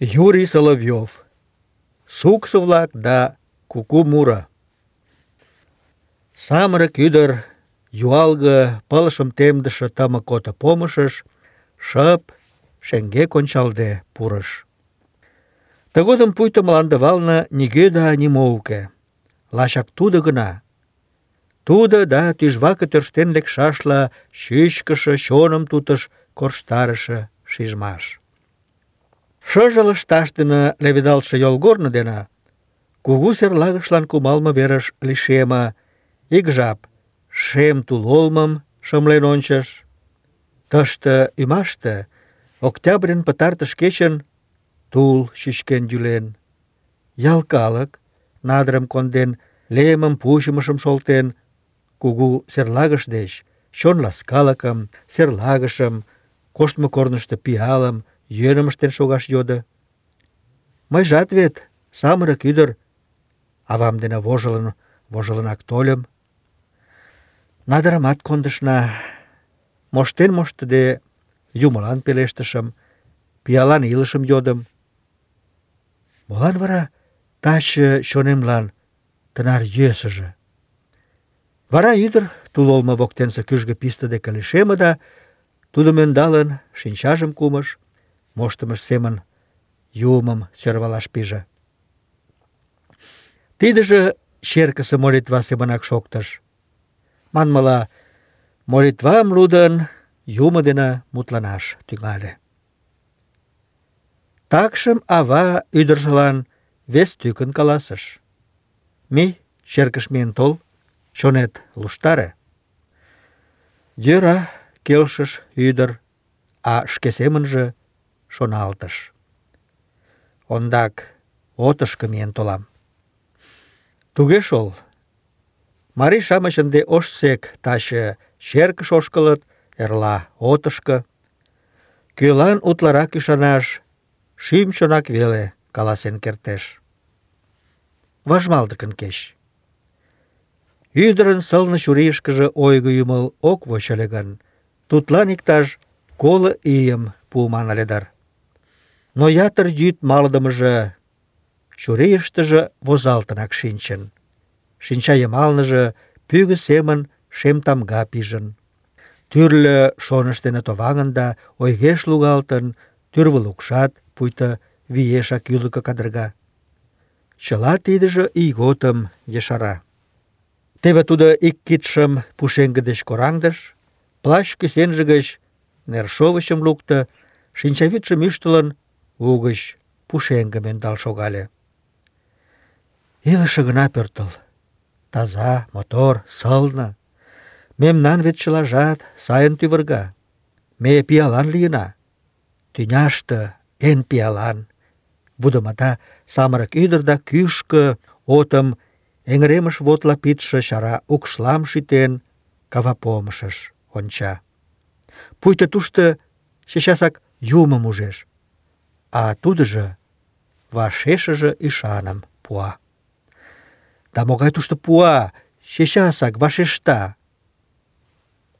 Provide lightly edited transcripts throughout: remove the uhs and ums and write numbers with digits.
Юрий Соловьев. Суксо-влак да куку муро. Самырык ӱдыр юалге пылышым темдыше тымык ото помышыш шып, шеҥгек ончалде пурыш. Тыгодым пуйто мландывалне нигӧ да нимо уке. Лачак тудо гына. Тудо да тӱжваке тӧрштен лекшашла чӱчкышӧ, чоным тутыш корштарыше шижмаш. Шыже лышташ дене леведалтше йолгорно дене кугу серлагышлан кумалме верыш лишеме, ик жап шем тул олмым шымлен ончыш. Тыште ӱмаште октябрьын пытартыш кечын тул чӱчкен йӱлен. Ял калык, надырым конден, лемым, пучымышым шолтен, кугу серлагыш деч чон ласкалыкым, серлагышым, коштмо корнышто пиалым, йӧным ыштен шогаш йодо. Мыйжат вет самырык ӱдыр, авам дене вожылынак тольым. Надырымат кондышна, моштен моштыде юмылан пелештышым, пиалан илышым йодым. Молан вара таче чонемлан тынар йӧсыжӧ? Вара ӱдыр тул олмо воктенсе кӱжгӧ писте деке лишеме да, тудым ӧндалын, шинчажым кумыш, моштымыж семын юмым сӧрвалаш пиже. Тидыже черкысе молитва семынак шоктыш. Манмыла, молитвам лудын, юмо дене мутланаш тӱҥале. Такшым ава ӱдыржылан вес тӱкын каласыш: «Мий, черкыш миен тол, чонет луштаре». «Йӧра», — келшыш ӱдыр, а шке семынже шоналтыш: «Ондак отышко миен толам». Туге шол. Марий-шамыч ынде ожсек таче черкыш ошкылыт, эрла отышко. Кӧлан утларак ӱшанаш, шӱм-чонак веле каласен кертеш. Важмалдыкын кеч. Ӱдырын сылне чурийышкыже ойго ӱмыл ок воч ыле гын, тудлан иктаж 50 ийым пуыман ыле дыр. Но ятыр йӱд малыдымыже чурийыштыже возалтынак шинчын. Шинча йымалныже пӱгӧ семын шем тамга пижын. Тӱрлӧ шоныш дене товаҥын да ойгеш лугалтын, тӱрвылукшат пуйто виешак ӱлыкӧ кадырга. Чыла тидыже ийготым ешара. Теве тудо ик кидшым пушеҥге деч кораҥдыш, плащ кӱсенже гыч нершовычым лукто, шинчавӱдшым ӱштылын, угыч пушеҥгым ӧндал шогале. Илыше гына пӧртыл. Таза, мотор, сылне. Мемнан вет чылажат сайын тӱвырга. Ме пиалан лийына. Тӱняште эн пиалан. Вудымата самырык ӱдыр да кӱшкӧ отым эҥыремыш вотла пидше чара укшлам шӱтен, кавапомышыш онча. Пуйто тушто чечасак юмым ужеш, а тудыжо вашешыже ӱшаным пуа. Да могай тушто пуа, чечасак вашешта.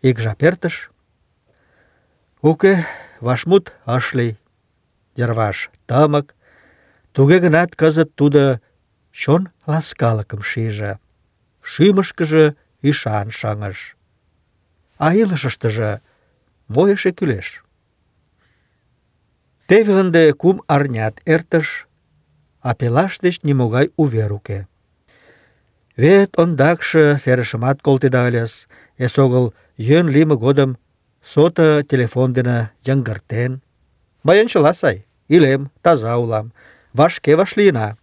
Ик жап эртыш. Уке, вашмут ыш лий. Йырваш тымык. Туге гынат кызыт тудо чон ласкалыкым шиже, шӱмышкыжӧ ӱшан шыҥыш. А илышыштыже мо эше кӱлеш? Теве ынде 3 арнят эртыш, а пелаш деч нимогай увер уке. Вет ондакше серышымат колтеда ыльыс, эсогыл йӧн лийме годым сото телефон дене йыҥгыртен. Мыйын чыла сай, илем, таза улам, вашке вашлийына.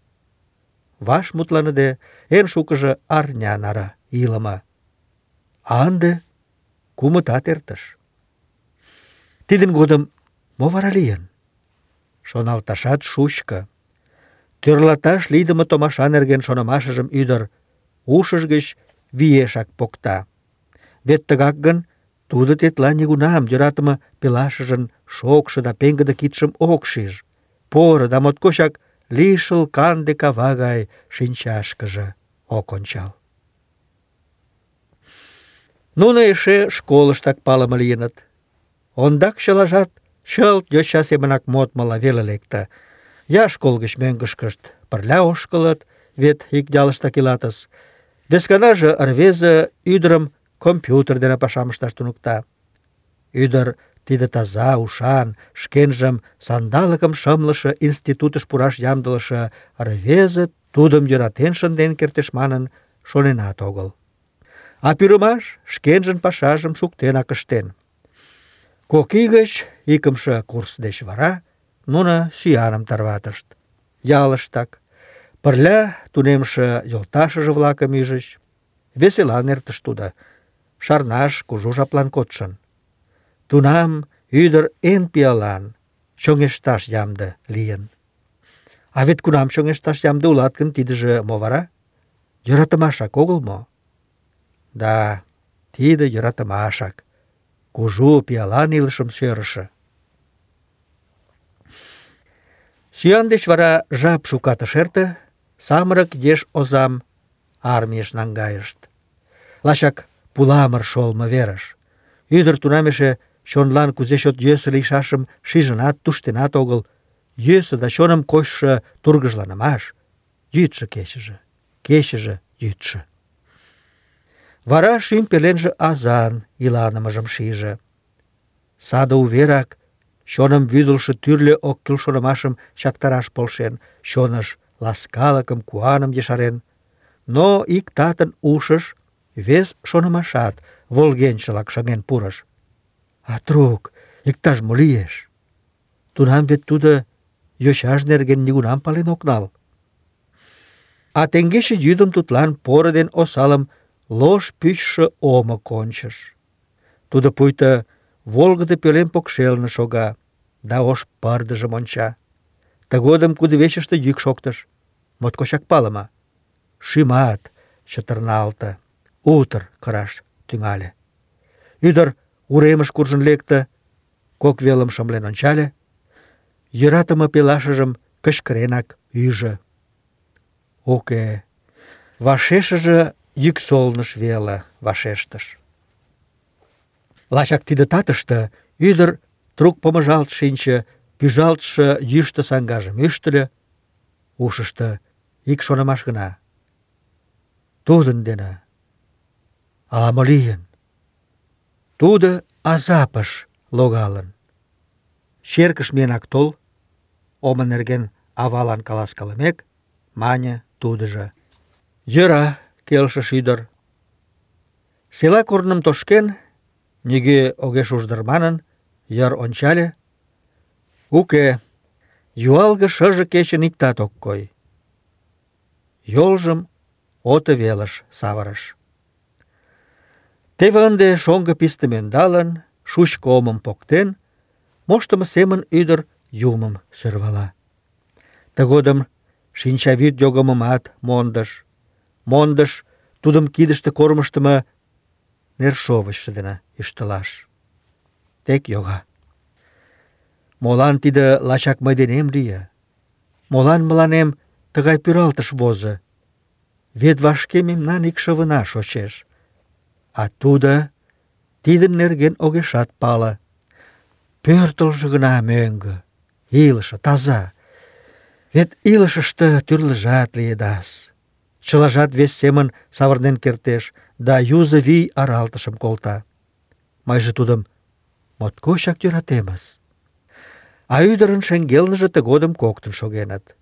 Ваш мутланыде, эн шукыжо арня наре илыме. А ынде 3 эртыш. Тидын годым мо вара лийын? Шоналташат шучко. Тӧрлаташ лийдыме томаша нерген шонымашыжым ӱдыр ушыж гыч виешак покта. Вет тыгак гын, тудо тетла нигунам йӧратыме пелашыжын шокшо да пеҥгыде кидшым ок шиж. Поро да моткочак лишыл канде кава гай шинчашкыже ок ончал. Нуно эше школыштак палыме лийыныт. Ондак чылажат чылт йоча семынак модмыла веле лекте. Я школ гыч мӧҥгышкышт пырля ошкылыт, вет ик ялыштак илатыс. Весканаже рвезе ӱдырым компьютер дене пашам ышташ туныкта. Ӱдыр тиде таза, ушан, шкенжым сандалыкым шымлыше институтыш пураш ямдылыше рвезе тудым йӧратен шынден кертеш манын шоненат огыл. А пӱрымаш шкенжын пашажым шуктенак ыштен. 2 ий гыч икымше курс деч вара нуно сӱаным тарватышт. Ялыштак пырля тунемше йолташыже-влакым ӱжыч. Веселан эртыш тудо, шарнаш кужу жаплан кодшын. Тунам ӱдыр эн пиалан, чоҥешташ ямде лийын. А вет кунам чоҥешташ ямде улат гын, тидыже мо вара? Йӧратымашак огыл мо? Да, тиде йӧратымашак, кужу пиалан илышым сӧрышӧ. Сӱан деч вара жап шукат ыш эрте, самырык еш озам армийыш наҥгайышт. Лачак пуламыр шолмо верыш. Ӱдыр тунам эше чонлан кузе чот йӧсӧ лийшашым шижынат, туштенат огыл. Йӧсӧ да чоным кочшо тургыжланымаш. Йӱдшӧ-кечыже, кечыже-йӱдшӧ. Вара шӱм пеленже азан иланымыжым шиже. Саде уверак чоным вӱдылшӧ тӱрлӧ ок кӱл шонымашым чактараш полшен, чоныш ласкалыкым, куаным ешарен. Но ик татын ушыш вес шонымашат волгенчылак шыҥен пурыш. А трук, иктаж-мо лиеш. Тунам вет тудо йочаж нерген нигунам пален ок нал. А теҥгече йӱдым тудлан поро ден осалым лош пӱчшӧ омо кончыш. Тудо пуйто волгыдо пӧлем покшелне шога да ош пырдыжым онча. Тыгодым кудывечыште йӱк шоктыш. Моткочак палыме. Шӱмат чытырналте, утыр кыраш тӱҥале. Ӱдыр уремыш куржын лекте, кок велым шымлен ончале, йӧратыме пелашыжым кычкыренак ӱжӧ. Уке, вашешыже йӱксолныш веле вашештыш. Лачак тиде татыште ӱдыр трук помыжалт шинче, пӱжалтше йӱштӧ саҥгажым ӱштыльӧ, ушышто ик шонымаш гына. Тудын дене ала-мо лийын. Тудо азапыш логалын. Черкыш миенак тол, омо нерген авалан каласкалымек, мане тудыжо. Йӧра, келшыш ӱдыр. Села корным тошкен, нигӧ огеш уж дыр манын, йыр ончале. Уке, юалге шыже кечын иктат ок кой. Йолжым ото велыш савырыш. Теве ынде шоҥго пистым ӧндалын, шучко омым поктен, моштымо семын ӱдыр юмым сӧрвала. Тыгодым шинчавӱд йогымымат мондыш. Мондыш тудым кидыште кормыжтымо нершовычшо дене ӱштылаш. Тек йога. Молан тиде лачак мый денем лие? Молан мыланем тыгай пӱралтыш возо? Вет вашке мемнан икшывына шочеш. А тудо тидын нерген огешат пале. Пӧртылжӧ гына мӧҥгӧ, илыше, таза. Вет илышыште тӱрлыжат лиедас. Чылажат вес семын савырнен кертеш да юзо вий аралтышым колта. Мыйже тудым моткочак йӧратемыс. А ӱдырын шеҥгелныже тыгодым коктын шогеныт.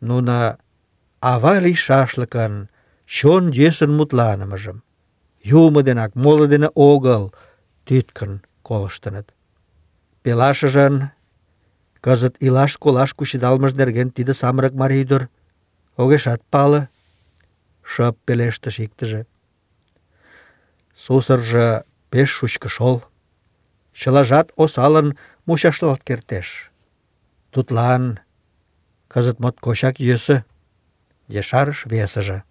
Нуно ава лийшашлыкын чон йӧсын мутланымыжым юмо денак, моло дене огыл, тӱткын колыштыныт. Пелашыжын кызыт илаш-колаш кучедалмыж нерген тиде самырык марий ӱдыр огешат пале, шып пелештыш иктыже. Сусыржо пеш шучко шол. Чылажат осалын мучашлалт кертеш. Тудлан кызыт моткочак йӧсӧ, ешарыш весыже.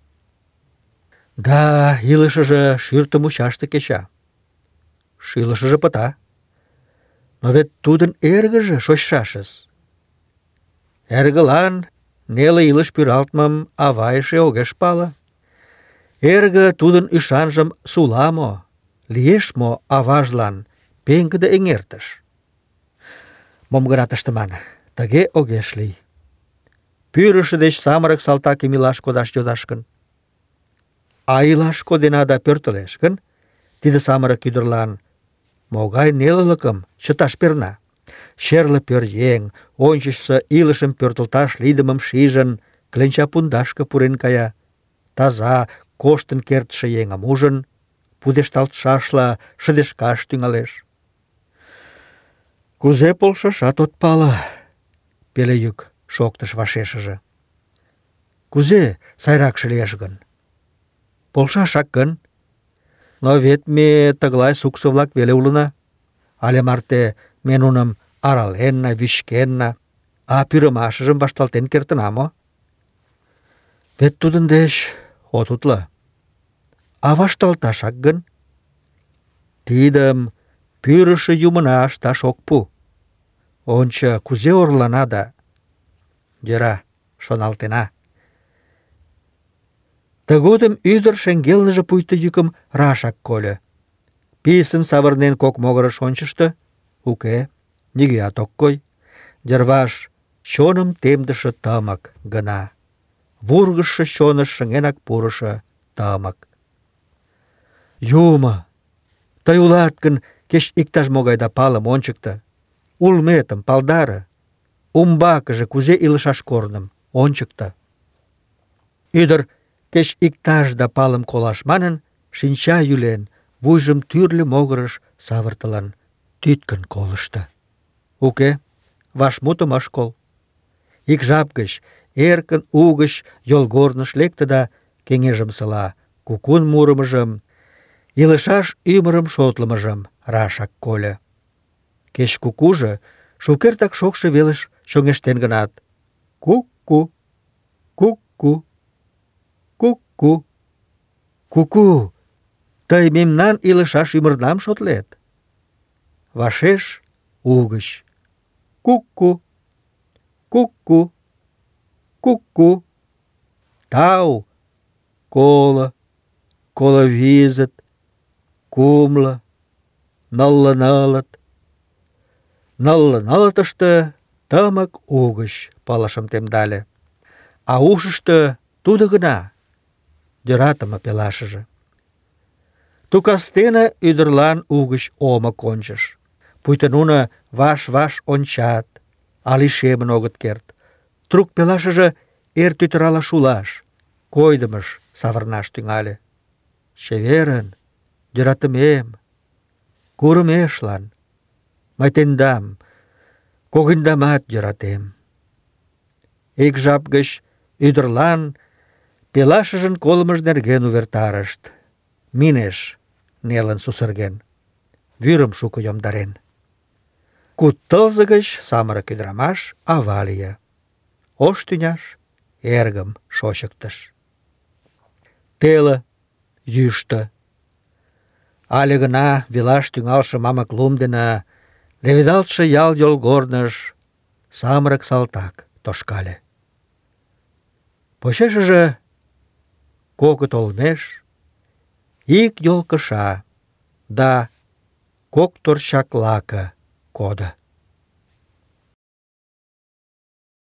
Да, илышыже шӱртӧ мучаште кеча. Шӱлышыжӧ пыта. Но вет тудын эргыже шочшашыс. Эргылан неле илыш пӱралтмым ава эше огеш пале. Эрге тудын ӱшанжым сула мо, лиеш мо аважлан пеҥгыде эҥертыш? Мом гынат ыштыман, тыге огеш лий. пӱрышӧ деч самырык салтакым илаш кодаш йодаш гын? А илаш кодена да пӧртылеш гын, тиде самырык ӱдырлан могай нелылыкым чыташ перна. Черле пӧръеҥ, ончычсо илышым пӧртылташ лийдымым шижын, кленча пундашке пурен кая. Таза, коштын кертше еҥым ужын, пудешталтшашла шыдешкаш тӱҥалеш. «Кузе полшашат от пале», — пеле йӱк шоктыш вашешыже. «Кузе сайракше лиеш гын? Полшашак гын? Но вет ме тыглай суксо-влак веле улына. Але марте ме нуным араленна, вӱчкенна, а пӱрымашыжым вашталтен кертына мо? Вет тудын деч от утло. А вашталташак гын? Тидым пӱрышӧ юмына ышташ ок пу. Ончо, кузе орлана да... Йӧра, шоналтена». Тыгодым ӱдыр шеҥгелныже пуйто йӱкым рашак кольо. Писын савырнен кок могырыш ончышто. Уке, нигӧат ок кой. Йырваш чоным темдыше тымык гына. Вургыжшо чоныш шыҥенак пурышо тымык. «Юмо, тый улат гын, кеч иктаж-могай да палым ончыкто. Улметым палдаре. Умбакыже кузе илышаш корным ончыкто». Ӱдыр, кеч иктаж да палым колаш манын, шинча йӱлен, вуйжым тӱрлӧ могырыш савыртылын, тӱткын колышто. Уке, вашмутым ыш кол. Ик жап гыч эркын угыч йолгорныш лекте да кеҥежымсыла кукун мурымыжым, илышаш ӱмырым шотлымыжым рашак кольо. Кеч кукужо шукертак шокшо велыш чоҥештен гынат, ку-ку, ку-ку, ку-ку, ку-ку, тый мемнан илышаш ӱмырнам шотлет? Вашеш угыч, ку-ку, ку-ку, ку-ку, тау, коло визыт, кумло, нылле нылыт. Нылле нылытыште тымык угыч пылышым темдале, а ушышто тудо гына, йӧратыме пелашыже. Ту кастене ӱдырлан угыч омо кончыш. Пуйто нуно ваш-ваш ончат, а лишемын огыт керт. Трук пелашыже эр тӱтырала шулаш, койдымыш савырнаш тӱҥале. «Чеверын, йӧратымем, курымешлан, мый тендам, когыньдамат йӧратем». Ик жап гыч ӱдырлан пелашыжын колымыж нерген увертарышт. Минеш нелын сусырген, вӱрым шуко йомдарен. Куд тылзе гыч самырык ӱдырамаш ава лие. Ош тӱняш эргым шочыктыш. Теле, йӱштӧ. Але гына велаш тӱҥалше мамык лум дене леведалтше ял йолгорныш самырык салтак тошкале. Почешыже кокыт олмеш ик йол кыша да кок торчак лаке кодо.